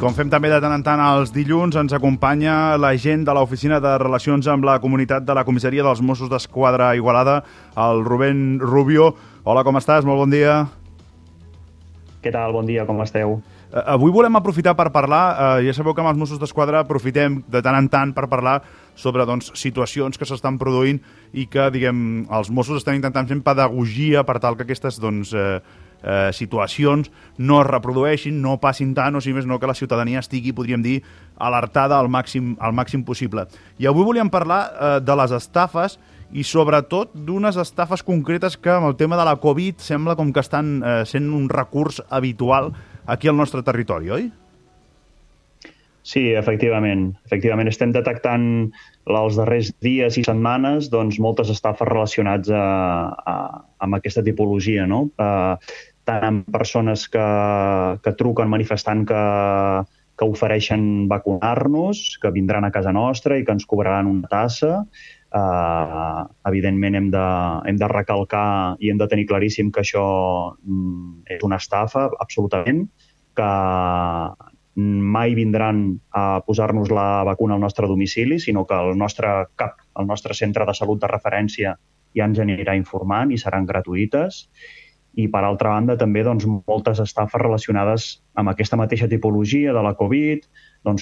com fem també de tant en tant els dilluns, ens acompanya l'agent de l'Oficina de Relacions amb la Comunitat de la Comissaria dels Mossos d'Esquadra a Igualada, el Rubén Rubio. Hola, com estàs? Molt bon dia. Què tal? Bon dia, com esteu? Avui volem aprofitar per parlar, ja sabeu que amb els Mossos d'Esquadra aprofitem de tant en tant per parlar sobre situacions que s'estan produint i que, diguem, els Mossos estan intentant fer pedagogia per tal que aquestes, situacions no es reprodueixin, no passin tant, o si més no, que la ciutadania estigui, podríem dir, alertada al màxim possible. I avui volíem parlar de les estafes i sobretot d'unes estafes concretes que amb el tema de la Covid sembla com que estan sent un recurs habitual aquí al nostre territori, oi? Sí, efectivament. Efectivament, estem detectant els darrers dies i setmanes moltes estafes relacionades amb aquesta tipologia, no? Tant amb persones que truquen manifestant que ofereixen vacunar-nos, que vindran a casa nostra i que ens cobraran una tassa. Evidentment hem de recalcar i hem de tenir claríssim que això és una estafa, absolutament, que mai vindran a posar-nos la vacuna al nostre domicili, sinó que el nostre CAP, el nostre centre de salut de referència, ja ens anirà informant i seran gratuïtes. I, per altra banda, també moltes estafes relacionades amb aquesta mateixa tipologia de la Covid,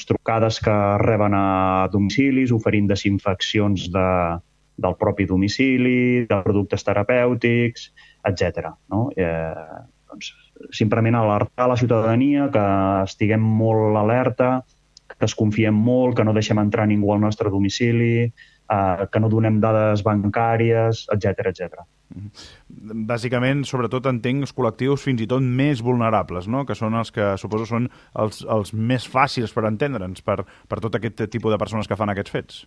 trucades que reben a domicilis, oferint desinfeccions del propi domicili, de productes terapèutics, etc. No? Simplement alertar la ciutadania, que estiguem molt alerta, que es confiem molt, que no deixem entrar ningú al nostre domicili, que no donem dades bancàries, etc. Bàsicament, sobretot entenc els col·lectius fins i tot més vulnerables, no? Que són els que suposo són els més fàcils per entendre'ns per tot aquest tipus de persones que fan aquests fets.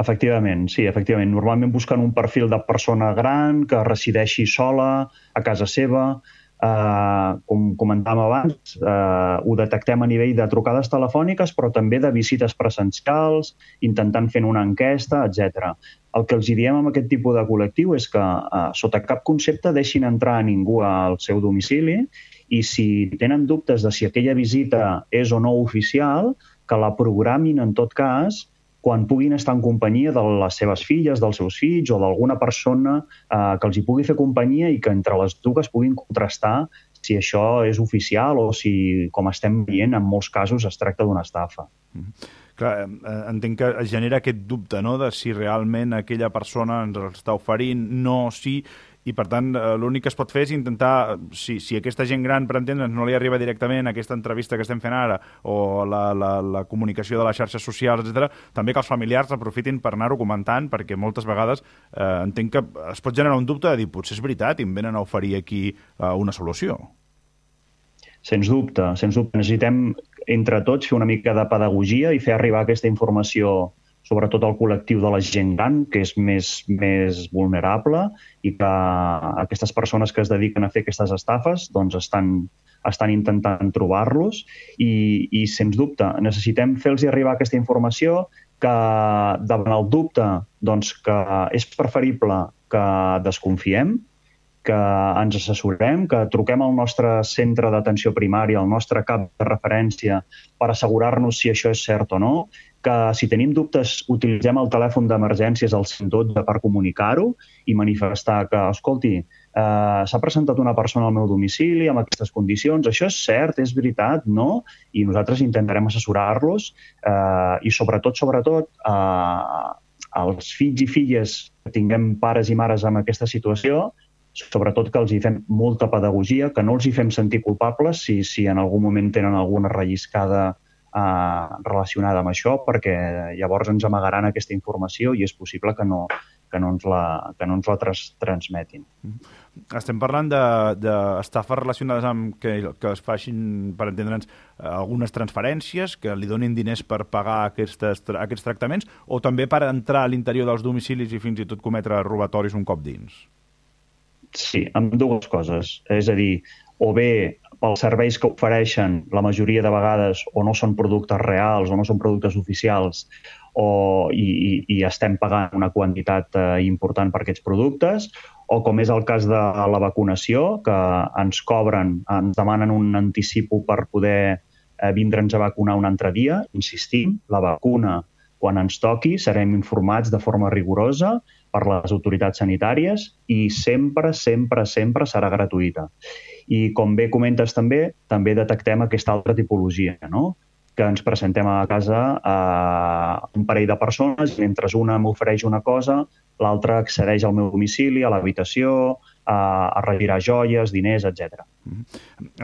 Efectivament, sí, efectivament. Normalment busquen un perfil de persona gran que resideixi sola a casa seva. Com comentàvem abans, ho detectem a nivell de trucades telefòniques, però també de visites presencials, intentant fer una enquesta, etc. El que els diem amb aquest tipus de col·lectiu és que, sota cap concepte, deixin entrar a ningú al seu domicili i si tenen dubtes de si aquella visita és o no oficial, que la programin en tot cas quan puguin estar en companyia de les seves filles, dels seus fills o d'alguna persona que els hi pugui fer companyia i que entre les dues puguin contrastar si això és oficial o si, com estem veient, en molts casos es tracta d'una estafa. Clar, entenc que es genera aquest dubte, no?, de si realment aquella persona ens està oferint, no, sí, i per tant l'únic que es pot fer és intentar, si aquesta gent gran, per entendre'ns, no li arriba directament aquesta entrevista que estem fent ara o la comunicació de les xarxes socials, etc., també que els familiars aprofitin per anar-ho comentant, perquè moltes vegades entenc que es pot generar un dubte de dir, potser és veritat i em venen a oferir aquí una solució. Sens dubte. Necessitem entre tots fer una mica de pedagogia i fer arribar aquesta informació sobretot al col·lectiu de la gent gran, que és més vulnerable, i que aquestes persones que es dediquen a fer aquestes estafes estan intentant trobar-los i, sens dubte, necessitem fer-los arribar aquesta informació que, davant el dubte, que és preferible que desconfiem, que ens assessorem, que truquem al nostre centre d'atenció primària, al nostre CAP de referència, per assegurar-nos si això és cert o no, que si tenim dubtes utilitzem el telèfon d'emergències al 112 per comunicar-ho i manifestar que, escolti, s'ha presentat una persona al meu domicili amb aquestes condicions, això és cert, és veritat, no? I nosaltres intentarem assessorar-los i sobretot, els fills i filles que tinguem pares i mares en aquesta situació, sobretot que els hi fem molta pedagogia, que no els hi fem sentir culpables si en algun moment tenen alguna relliscada relacionada amb això, perquè llavors ens amagaran aquesta informació i és possible que no ens la transmetin. Estem parlant d'estafes relacionades amb que es facin, per entendre'ns, algunes transferències, que li donin diners per pagar aquests tractaments, o també per entrar a l'interior dels domicilis i fins i tot cometre robatoris un cop dins? Sí, amb dues coses. És a dir, o bé pels serveis que ofereixen, la majoria de vegades o no són productes reals o no són productes oficials i estem pagant una quantitat important per aquests productes, o com és el cas de la vacunació, que ens cobren, ens demanen un anticipo per poder vindre'ns a vacunar un altre dia. Insistim, la vacuna, quan ens toqui, serem informats de forma rigorosa per les autoritats sanitàries i sempre, sempre, sempre serà gratuïta. I com bé comentes també detectem aquesta altra tipologia, no? Que ens presentem a casa un parell de persones, mentre una m'ofereix una cosa, l'altra accedeix al meu domicili, a l'habitació, a retirar joies, diners, etc.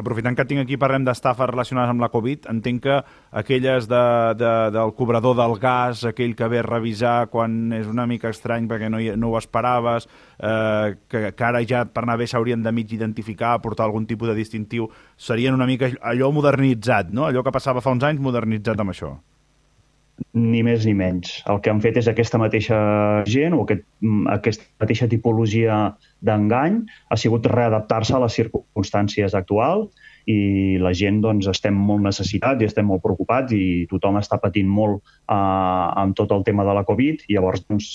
Aprofitant que tinc aquí, parlem d'estafes relacionades amb la Covid, entenc que aquelles del cobrador del gas, aquell que ve a revisar quan és una mica estrany perquè no ho esperaves, que ara ja per anar bé s'haurien de mig identificar, portar algun tipus de distintiu, serien una mica allò modernitzat, no? Allò que passava fa uns anys modernitzat amb això. Ni més ni menys. El que han fet és aquesta mateixa gent o aquesta mateixa tipologia d'engany ha sigut readaptar-se a les circumstàncies actuals i la gent doncs, estem molt necessitats i estem molt preocupats i tothom està patint molt amb tot el tema de la Covid i llavors doncs,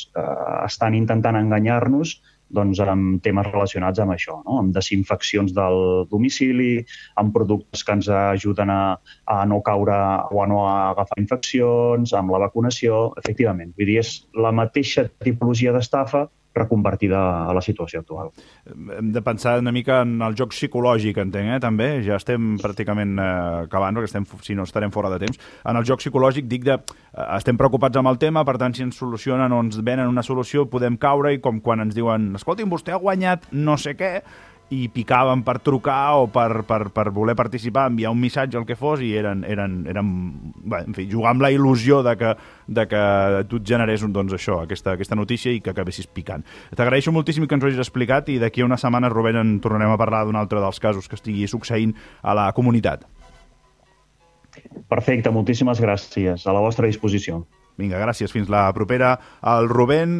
estan intentant enganyar-nos doncs, amb temes relacionats amb això, no? Amb desinfeccions del domicili, amb productes que ens ajuden a no caure o a no agafar infeccions, amb la vacunació, efectivament. Vull dir, és la mateixa tipologia d'estafa reconvertida a la situació actual. Hem de pensar una mica en el joc psicològic, entenc, també? Ja estem pràcticament acabant, perquè si no estarem fora de temps. En el joc psicològic dic estem preocupats amb el tema, per tant, si ens solucionen o ens venen una solució, podem caure i com quan ens diuen escolti'm, vostè ha guanyat no sé què, i picaven per trucar o per voler participar, enviar un missatge, el que fos, i eren bé, en fi, jugar amb la il·lusió de que tu et generés doncs, això, aquesta notícia i que acabessis picant. T'agraeixo moltíssim que ens ho hagis explicat i d'aquí a una setmana, Rubén, en tornarem a parlar d'un altre dels casos que estigui succeint a la comunitat. Perfecte, moltíssimes gràcies. A la vostra disposició. Vinga, gràcies. Fins la propera. El Rubén